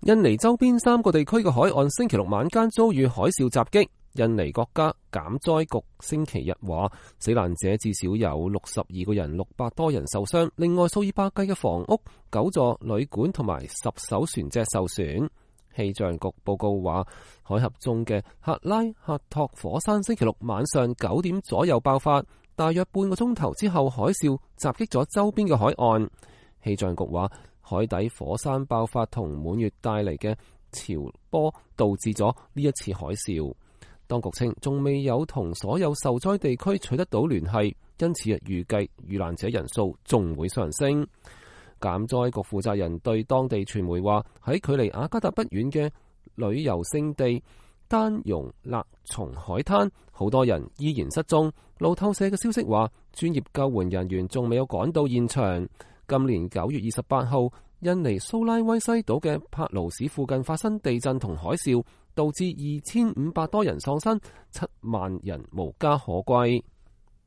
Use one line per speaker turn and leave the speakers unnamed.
印尼周邊3個地區嘅海岸星期六晚間遭遇海嘯襲擊。印尼國家減災局星期日話，死難者至少有62個人，600多人受傷，另外數以百計嘅房屋、9座旅館同埋10艘船隻受損。氣象局報告話，海峽中嘅克拉克托火山星期六晚上9點左右爆發，大約半個鐘頭之後，海嘯襲擊咗周邊嘅海岸。氣象局話，海底火山爆發同滿月帶嚟嘅潮波導致咗呢一次海嘯。當局稱仲未有同所有受災地區取得到聯繫，因此預計遇難者人數仲會上升。減災局負責人對當地傳媒話，喺距離雅加達不遠嘅旅遊勝地丹容勒松海灘，好多人依然失蹤。路透社嘅消息話，專業救援人員仲未有趕到現場。今年9月28號，印尼蘇拉威西島嘅帕勞市附近發生地震同海嘯，導致2500多人喪生，7萬人無家可歸。